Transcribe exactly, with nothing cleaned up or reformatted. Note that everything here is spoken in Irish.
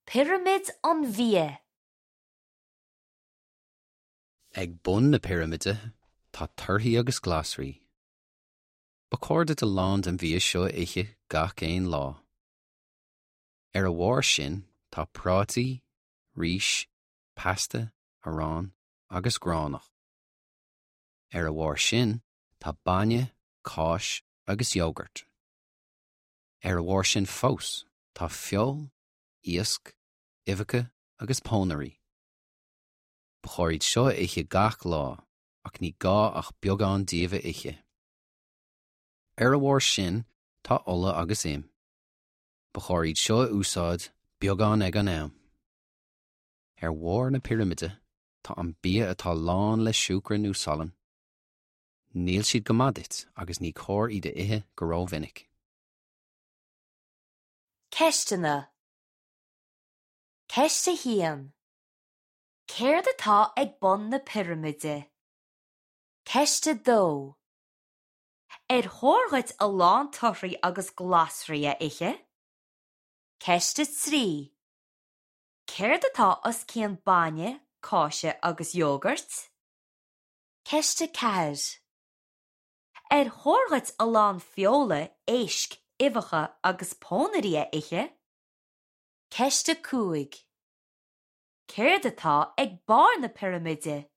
Pirimid an bhia. Ag bun na pirimide tá torthaí agus glasraí. Ba chóir duit a lán den bhia seo a ithe gach aon lá. Ar a bharr sin tá prátaí, rís, pasta, arán agus gránach. Ar a bharr sin tá bainne, cáis agus iógart. Ar a bharr sin fós tá feoil, iasc, uibheacha agus pónairí. Ba chóir iad seo a ithe gach lá ach ní gá ach beagán díobh a ithe. Ar a bharr sin tá ola agus im. Ba chóir iad seo a úsáid beagán ag an am. Ar bharr na pirimide tá an bia atá lán le siúcra nó salann. Níl siad go maith duit agus ní cóir iad a ithe go rómhinic. Ceisteanna Ceist a haon. Céard atá ag bun na pirimide? Ceist a dó. Ar chóir duit a lán torthaí agus glasraí a ithe? Ceist a trí. Céard atá os cionn bainne, cáise agus iógart? Ceist a ceathair. Ar chóir duit a lán feola, éisc, uibheacha agus pónairí a ithe? Ceist a cúig. Céard atá ag barr na pirimide?